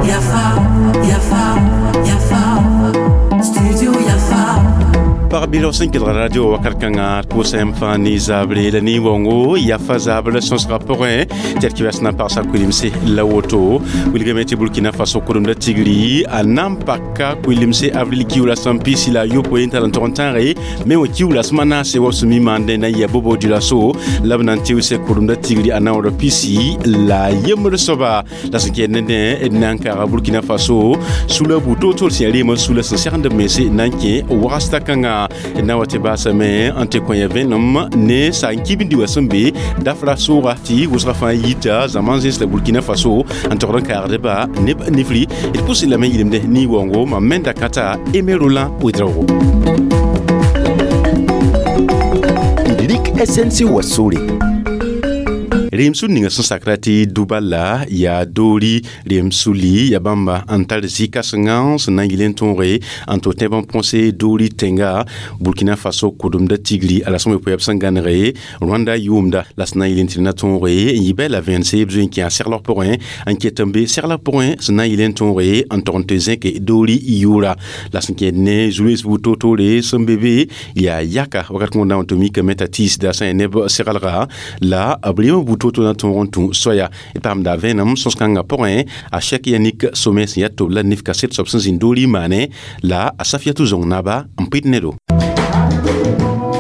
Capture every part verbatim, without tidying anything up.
Yafa, Yafa, Yafa, Studio Yafa. Pag-bilg sẽn kelg radio wakat kãngã d pʋʋsame fãa ne zabre la nin-waoongo yafa zabr sõsgã pʋgẽ tɩ d kibas na n pagsa kuilemse la woto wilgame tɩ Burkina Faso kʋremda tigri a na n paka kuilemse avril kiuula sẽn pisi la a yopoe n tar n tog n tãage me wã kiuula sẽm a naase wa b sẽn mi maandẽ na n yɩ a Bobo Dioulasso la b na n tɩʋse kʋremda tigri a naoor pisi la yembr soaba la sẽn kɛɛd ned d na n kaaga Burkina Faso sula bu-toor-toor sẽn yaa reemã sula sẽn segend b mense na n kẽ wagsta kãngã na wa tɩ baasame n tɩ kõ ya vẽenem ne saag-n-kibndi wã sẽn be dafra sooga tɩ wʋsgã fãa yita zãma zẽns la Burkina Faso n togd n kaagdba neb nifri d pʋsẽ lame yɩlemde nin-waoongo mam menda kãta Aimé Roland Ouedraogo. D rik S N C wa sore. Reem sul ninga sẽn sakra tɩ dubala yaa doori reem suli yaa bãmba n tar zĩ-kãsengã sẽn na n yɩl n tõoge n tɩ tẽb n põse doori tẽnga Burkina Faso kʋdemda tigri a la sẽn we b sẽn gãnege Rwanda yʋʋmda la sẽn na n yɩl n tɩ na tõoge n yɩ bɩ la vẽense b zoe n kẽ a seglg pʋgẽ n ket n be seglg pʋgẽ sẽn na n yɩl n tõoge n tog n tɩ zẽke doori yʋʋra la sẽn kẽed ne zu-loees buud toor-toore sẽn be be yaa yaka wakat kõn na n tɩ mikame t'a tiisda sẽn yaa neb seglga la b reem buud toor-toor na tõog n tũ soaya d paamda vẽenem sõs-kãngã pʋgẽ a Cheikh Yannick Somé sẽn yaa tob la nif kaset soab sẽn zĩnd doori maane la a Safiatou Zong naba n pɩd nedo.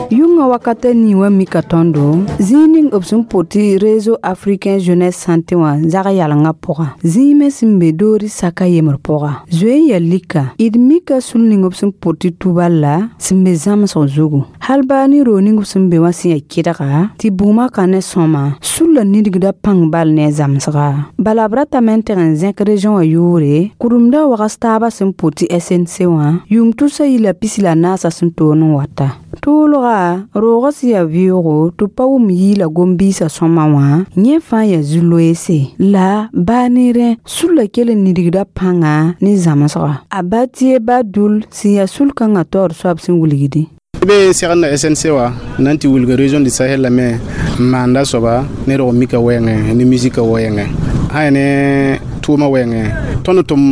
Yʋngã wakata nii wã mika tõndo zĩig ning b sẽn pʋt tɩ Réseau Africain Jeunesse Santé wã zag yalengã pʋga zĩig me sẽn be doori saka yembr pʋga zoe n yaa lika d mika sul ning b sẽn pʋt tɩ tubal sẽn be zãmsg zugu hal baa ne roog ning b sẽn be wã sẽn yaa kɩdga tɩ bʋʋmã ka ne sõma sul la nidgda pãng bal ne a zãmsga bala b ratame n teg n zẽk région wã yʋʋre kʋremdã wags taabã sẽn pʋt tɩ S N C wã yʋʋm tusa yila pisi la naasã sẽn toon n wata toolga roogã sẽn yaa vɩʋʋgo tɩ pa wʋm yiila gom-biisã sõma wã yẽ fãa yaa zu-loeese la baa ne rẽ sul la kell n nidgda pãnga ne zãmsga a Batie Badul sẽn yaa sul-kãngã taoor soab sẽn wilgdẽ. Be segd S N C wã na n tɩ wilg région du Sahel la me n maanda soaba ne rog mika wɛɛngẽ ne musika wɛɛngẽ sã yaa ne tʋʋmã wɛɛngẽ tõnd tʋm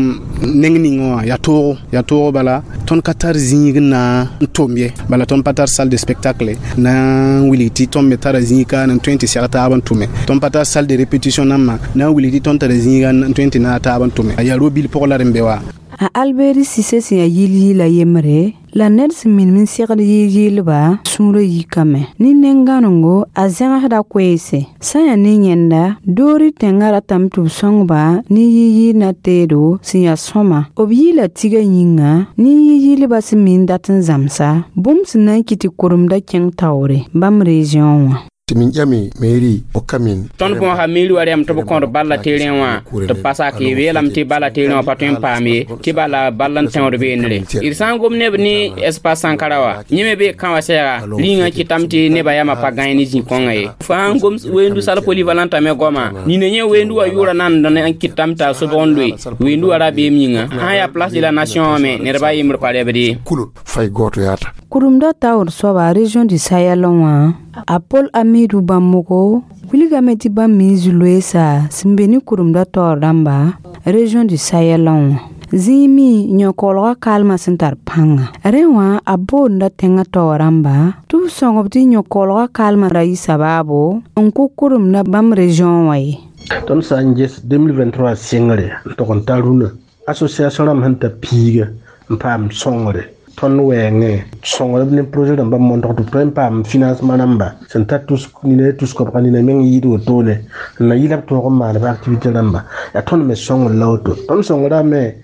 neng ning wã yaa toogo yaa toogo bala tõnd ka tar zĩig n na n tʋm ye bala tõnd pa tar salle de spectacle na n wilg tɩ tõnd me tara zĩig ka n tõe n tɩ seg taab n tʋme tõnd pa tar salle de répétition nambã na n wilg tɩ tõnd tara zĩiga n tõe n tɩ naag taab n tʋme yaa ro-bil pʋg la d n be wa. A Albert Cissé sẽn yaa yɩl-yɩɩla yembre la ned sẽn minim n segd yɩl-yɩɩlba sũurã yikame ne nen-gãnengo a zẽgsda koeese sã n yaa ne yẽnda doori tẽngã ratame tɩ b sõngba ne yɩ-yɩɩl na teedo sẽn yaa sõma b yɩɩla tiga yĩnga ne yɩ-yɩɩlbã sẽn mi n dat n zãmsa bũmb sẽn na n kɩt tɩ kʋremda kẽng taoore bãmb région wã. Min ƴame mairie o kamin tõnd bõosa miiri wa rɛm tɩ b kõd balla terẽ wã tɩ b pa sak ye weelame tɩ bala terẽ wã pa tõe n paam ye tɩ bala ball n tẽod beene d sã n gom neb ne espace Sankara wa yẽ me bee kã wã sɛɛga rĩngã kɩtame tɩ nebã yamã pa gãe ne zĩ-kõngã ye fãa n gom weendu sal polyvalente me goama nina yẽ weendu wã yʋʋra nan n kɩtame t'a sobg n loe weendu wã ra beem yĩnga sã n yaa place de la nation wã me nedbã yembr pa rɛbd ye. Kulol fay goto yaata. Kʋremda taoor soaba région du Sahel wã a Paul Amidou Bãmbogo wilgame tɩ bãmb me zu-loeesa sẽn be ne kʋremda taoor rãmba région du Sahel wã zĩig me yõ-koolgã kaalmã sẽn tar pãnga rẽ wã a boonda tẽngã taoor rãmba tɩ b sõng-b tɩ yõ-koolgã kaalmã ra yɩ sabaabo n kʋ kʋremda bãmb région wã ye. Tõnd sã n ges deux mille vingt-trois sɩngre n tog n ta rũnã association rãmb sẽn ta piiga n paam sõngre tõnd wɛɛngẽ sõngrb ne projet rãmbã montg tɩ b tõe n paam financement rãmba sẽn ta tus nina tus kobga nina meng yɩɩd wotone n na yɩla b tõog n maan b activité rãmba yaa tõnd me sõngr la woto tõnd sõngra me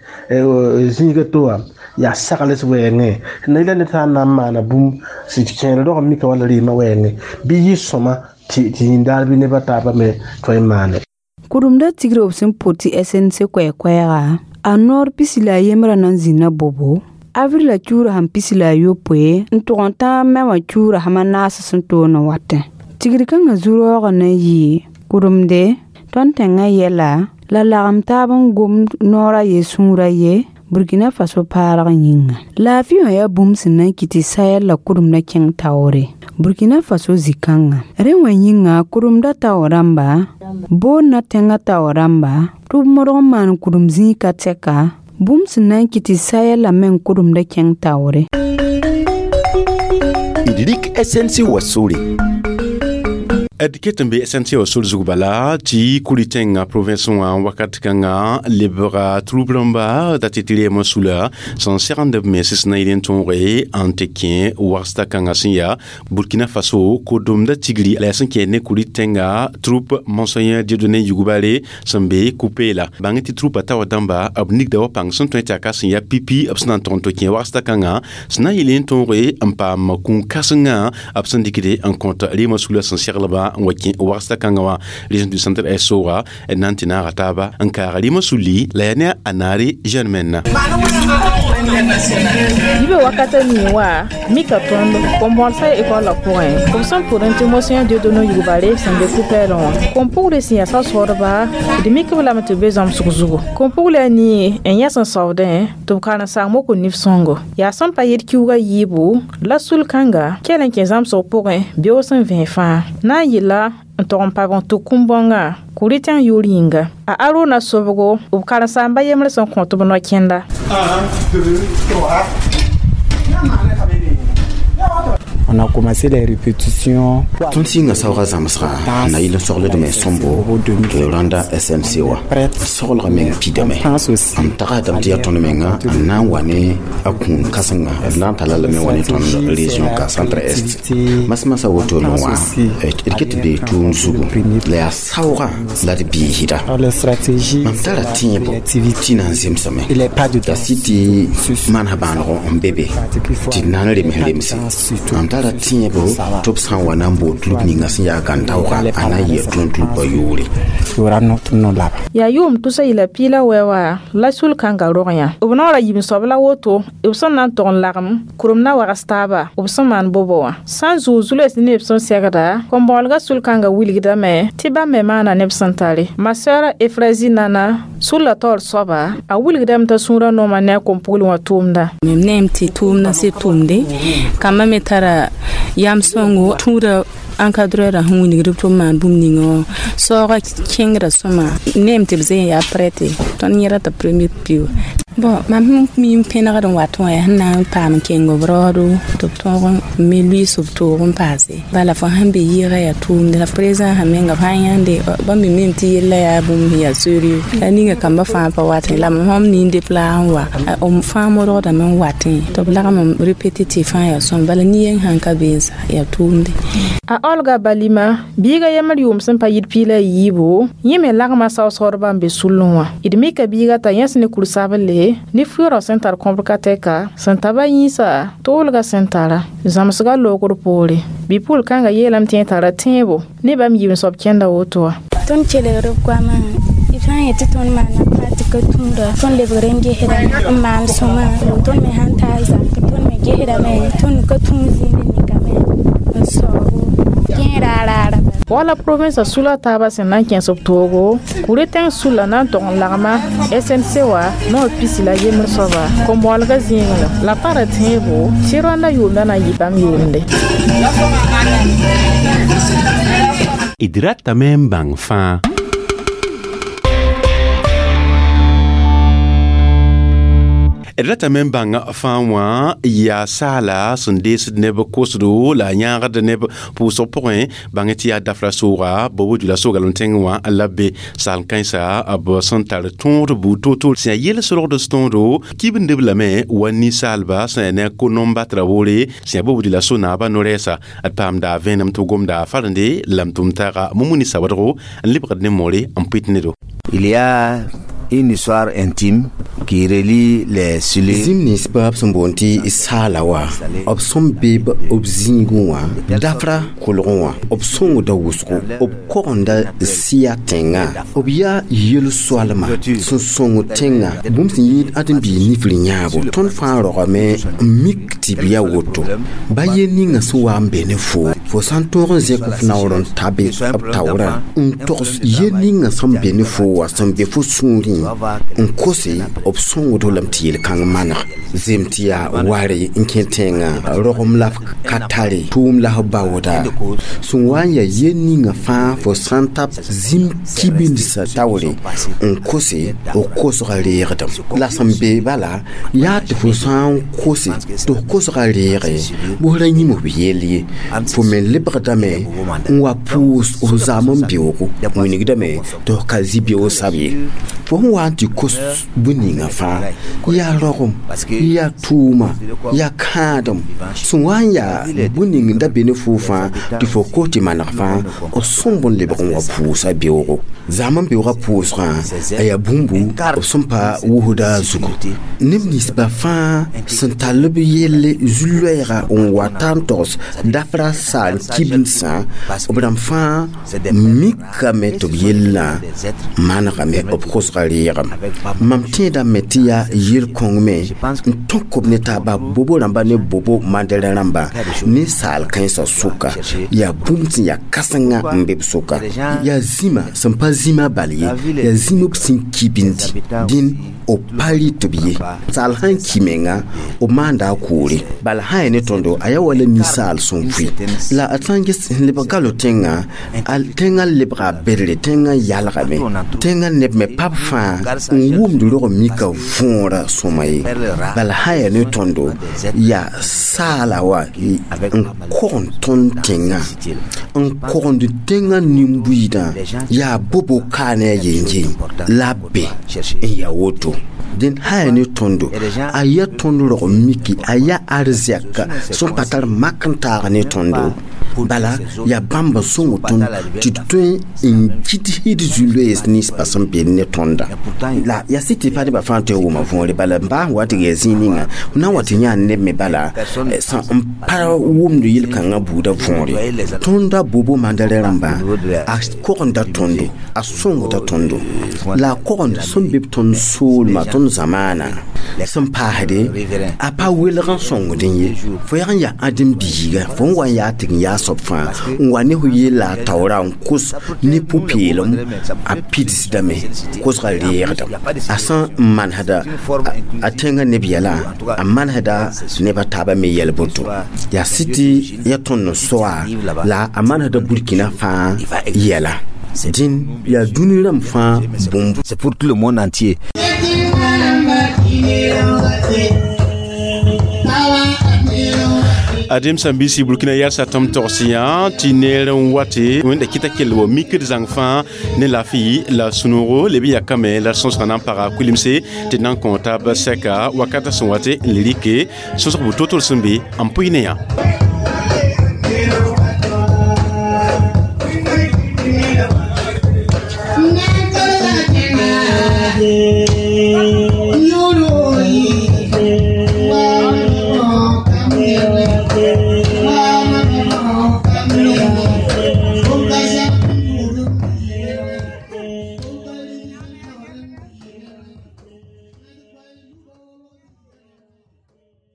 zĩiga to wã yaa sagls wɛɛngẽ na yɩla ned sã n na n maana bũmb sẽn kẽer rog n mika wala rɩɩmã wɛɛngẽ bɩ yɩ sõma tɩ yĩndaar bɩ nebã taabã me tõe n maane. Kʋremda tigr b sẽn pʋt tɩ S N C koɛɛ-koɛɛga a noor pisi la a yembrã na n zĩnna bobo avril la kiuura sẽn pisi la a yopoe n tʋg n tãag me wã kiuura sẽm a naas sẽn toon n watẽ tigr kãngã zu-raoogã na n yɩ kʋremde tõnd tẽngã yɛla la lagem taab n gom noor a ye sũur a ye Burkina Faso paarg yĩnga laafɩ wã yaa bũmb sẽn na n kɩt tɩ Sahel la kʋremdã kẽng taoore Burkina Faso zĩ-kãngã rẽ wã yĩnga kʋremdã tao rãmba boondã tẽngã tao rãmba tɩ b modg n maan kʋrem zĩig ka tɛka bũmb sẽn na n kɩt tɩ Sahel la meng kʋremdã kẽng taoore. D rɩk S N C wa sore. D ket n be S N C wa sor zug bala tɩ kuri tẽngã province wã wakat kãngã lebga troupe rãmba da tɩ tɩ reem sula sẽn segend b mens sẽn na yɩl n tõoge n tɩ kẽ wagsda kãngã sẽn yaa Burkina Faso kodomda tigri la yaa sẽn kẽ ne kuri tẽngã troupe Monseigneur Dieudonné Yougubare sẽn be Kupela bãng tɩ troupe a taoor dãmba b nigda wa pãng sẽn tõe tɩ a ka sẽn yaa pipi b sẽn na n tog n tɩ kẽ wagsda kãngã sẽn na n yɩl n tõoge n paam kũun-kãsengã b sẽn dɩkde n kõt reemã sula sẽn seglba n wa kẽ wagsda kãngã wã région du centre est sooga n na n tɩ naaga taaba n kaaga rɩmã sulli la yaa ne a naare jeune menna. Yibe wakata ni wa mika tõnd kom-bõols école la pʋgẽ b sẽn pʋd n tɩ Monseigneur Dieudonné Yougubare sẽn be Kupɛɛlẽ wã kom-pugl sẽn yaa sao-soodba d mik b lame tɩ b be zãmsg zugu kom-pugl a nii n yẽ sẽn saoodẽ tɩ b karen-saam woko nif-sõngo yaa sẽn pa yet kiuugã yiibu la sul-kãnga kell n kẽ zãmsg pʋgẽ beoog sẽn vẽe fãa na n yɩla n tog n pag n tʋk kũm-bõngã kuri tẽng yʋʋr yĩnga a Aruna sobgo b karen-saamba yembr sẽn kõt b no-kẽnda. On a commencé les répétitions. Tõnd sɩnga saoogã zãmsga na yɩl n sogldme sõmbo Rwanda S N C wã soglga meng pidame n tagsdame tɩ yaa tõnd menga n na n wa ne a kũun kãsenga d na n tala lame wa ne tõnd région ka centre est mas-masã wotone wã d ket bee tʋʋm zugu la yaa saoogã la d biisda mam tara tẽebo tɩ na n zemsame la sɩ tɩ maana bãanego n be be tɩ d na n rems remse mam tara tẽebo tɩ b sã n wa na n bool tʋlb ninga sẽn yaa gãn-taooga a na n yɩ tõnd tʋlbã yʋʋre. Yaa yʋʋm tʋsa yɩla piila wɛ wa la sul-kãngã rog yã b naoora yib-soab la woto b sẽn na n tog n lagem kʋrem na wags taaba b sẽn maan bobo wã sã n zʋʋg zules ne neb sẽn segda kom-bõolegã sul-kãngã wilgdame tɩ bãmb me maana neb sẽn tare ma sœur Efrazi Nana sul la taoor soaba a wilgdame t'a sũurã noomã ne a kom-pugl wã tʋʋmda. Mam neem tɩ tʋʋmdã sɩd tʋʋmde kambã me tara yam sõngo tũuda encadreur sẽn wilgd b tɩ b maan bũmb ninga wã saoogã kẽngrã sõma neem tɩ b zẽ yaa prête tõnd yẽra tɩ premier pio bon mam sẽn mi n pẽnegd n wat wã yaa sẽn na n paam n kẽng b raoodo tɩ b tõog n me luiis b toog n paase bala fo sãn be yɩɩga yaa tʋʋmde la président sã menga f sã n yãnde bãmb me mim tɩ yella yaa bũmb sẽn yaa sérieux la ninga kambã fãa pa watẽ la mam sõm nin depla n wa m fãa modgdame n watẽ tɩ b lagm n répété tɩ fãa yaa sõm bala nin-yeng sãn ka be n sa yaa tʋʋmde. A Olga Balima biiga yembr yʋʋm sẽn pa yit piila yiibu yẽ me lagma sao-soodbã n be sullẽ wã d mika biiga t'a yẽs ne kur-sable ne fʋɩrã sẽn tar kõbr ka tɛka sẽn ta ba yĩnsa toolga sẽn tara zãmsgã loogr poore bɩ-pʋl-kãngã yeelame tɩ yẽ tara tẽebo ne bãmb yib-soab kẽnda woto wã. Tõnd kelgd b goamã b sã n yetɩ tõnd maana pati ka tũuda tõnd lebgr n gesdame n maan sõma tõnd me sãn taa zak tõnd me gesdame tõnd ka tũud zĩnd nikame n saoogo Wala province sula taaba sẽn na n kẽes b toogo kuri tẽng sulla na n tog n lagma S N C wa naoor pisi la yembr soaba kom-bõolegã zĩigẽ la tara tẽebo tɩ rõanda yʋʋmda na n yɩ bãmb yʋʋmde. D ratame n bãng fãa. D ratame n bãng fãa wã yaa saala sẽn deesd neb kosdo la a yãagd neb pʋʋsg pʋgẽ bãng tɩ yaa dafra sooga bobo dula soogalem tẽng wã la be saal kãensa b sẽn tar tõod buud toor-toor sẽn yaa yel-solgd tõodo kibndb lame wa ninsaalba sẽn yaa ne a ko-nom-batra woore sẽn yaa bobo dula so naabã no-rɛɛsa d paamda vẽenem tɩ b gomda farende la m tʋm taaga Mumuni Sawadgo n lebgd ne moore n pʋɩt nedo. Il y a une histoire intime qui relie les Sulé. Zĩm nins baab sẽn boond tɩ saala wã b sẽn be b zĩigẽ wã dafra kolgẽ wã b sõngda wʋsgo b kogenda sɩya tẽngã b yaa yel-soalma sẽn sõng tẽngã bũmb sẽn yɩɩd ãdem-biig nifr yãabo tõnd fãa rogame n mik tɩ b yaa woto ba yel ninga sẽn wa n be ne fo fo sã n tõog n zẽk f naoor n ta be b taoorã n togs yel ninga sẽn be ne fo wã sẽn be fo sũurẽ n kose b sõngdo lame tɩ yel-kãng maneg zem tɩ yaa ware n kẽ tẽngã rogem la f ka tare tʋʋm la f baooda sẽn wa n yaa yel ninga fãa fo sã n ta zĩm kibindsã taoore n kose b kosga reegdem la sẽn be bala yaa tɩ fo sã n kose tɩ f kosga reege bʋs ra yĩm b yell ye fo me lebgdame n wa pʋʋs f zam n beoogo wingdame tɩ f ka zĩ beoog sab ye fo sẽn wa n tɩ kos bũn-ninga fãa yaa rogem yaa tʋʋma yaa kãadem sẽn wa n yaa bũn-ning da be ne foo fãa tɩ fo kos tɩ maneg fãa b sõmb n lebg n wa pʋʋsa beoogo zam n beoogã pʋʋsgã a yaa bũmbu b sẽn pa wʋsda zugu neb ninsba fãa sẽn tall b yelle zu-loɛɛga n wa ta n togs dafra saal kibnsã b rãmb fãa mikame tɩ b yellã manegame b kosga reegem mam tẽedame tɩ yaa yel-kõng me n tõk b ne taaba bobo rãmba ne bobo mandɛrɛ rãmba ninsaal kãensã sʋka yaa bũmb sẽn yaa kãsenga n be b sʋka yaa zĩma sẽn pa zĩma bal ye yaa zĩm b sẽn kibindi dĩn b pa rɩt b ye saal sãn ki menga b maanda a koore bala sã ya ne tõndo a yaa wala ninsaal sẽn vʋɩ la a sã n ges n lebg galo tẽngã a tẽngã lebga bedre tẽngã yalgame tẽngã neb me pab fãa n wʋmd rog mika võora sõma ye bala sã ya ne tõndo yaa saala wa n kogend tõnd tẽngã n kogend tẽngã nin-buiidã yaa bobo kaa ne a yen-yen la be n yaa woto dẽn sã yaa ne tõndo a yaa tõnd rog miki a yaa arzɛka sẽn pa tar mak n taag ne tõndo bala yaa bãmb n sõng tõnd tɩ d tõe n gɩds d zu-loees ninsba sẽn be ne tõnda la yaa sɩ tɩ pa nebã fãa tõe n wʋma võore bala n baa wa tɩ yaa zĩig ninga na n wa tɩ yã neb me bala sã n pa wʋmd yel-kãngã buudã võore tõnda bobo mandɛrɛ rãmba a kogenda tõndo a sõngda tõndo la a kogend sẽn be b tõnd soolmã tõnd zamaana sẽn paasde a pa welg n sõngdẽ ye fo yag n yaa ãdem biiga fo n wa n yaa tɩg n yaa soab fãa n wa ne fo yella a taoora n kos ne pʋ-peelem a pidsdame kosga reegdem a sã n manesda a tẽngã neb yɛla a manesda neb a taabã me yɛl boto yaa sɩ tɩ ya tõnd n soa la a manesda Burkina fãa yɛla dĩn yaa dũni rãmb fãa bũmb C'est pour tout le monde entier. Adem sãn-biisi Burkina yɛlsa tɩm togs yã tɩ neer n wate wẽnda kɩta kell wa mikd zãng fãa ne laafɩ la sũ-noogo leb n yakame la d sõsgã na n paga kulimse tɩ d na n kõ taab sɛka wakatã sẽn wate n le rɩke sõsg bu to-tor sẽn be n pʋɩ ne yã.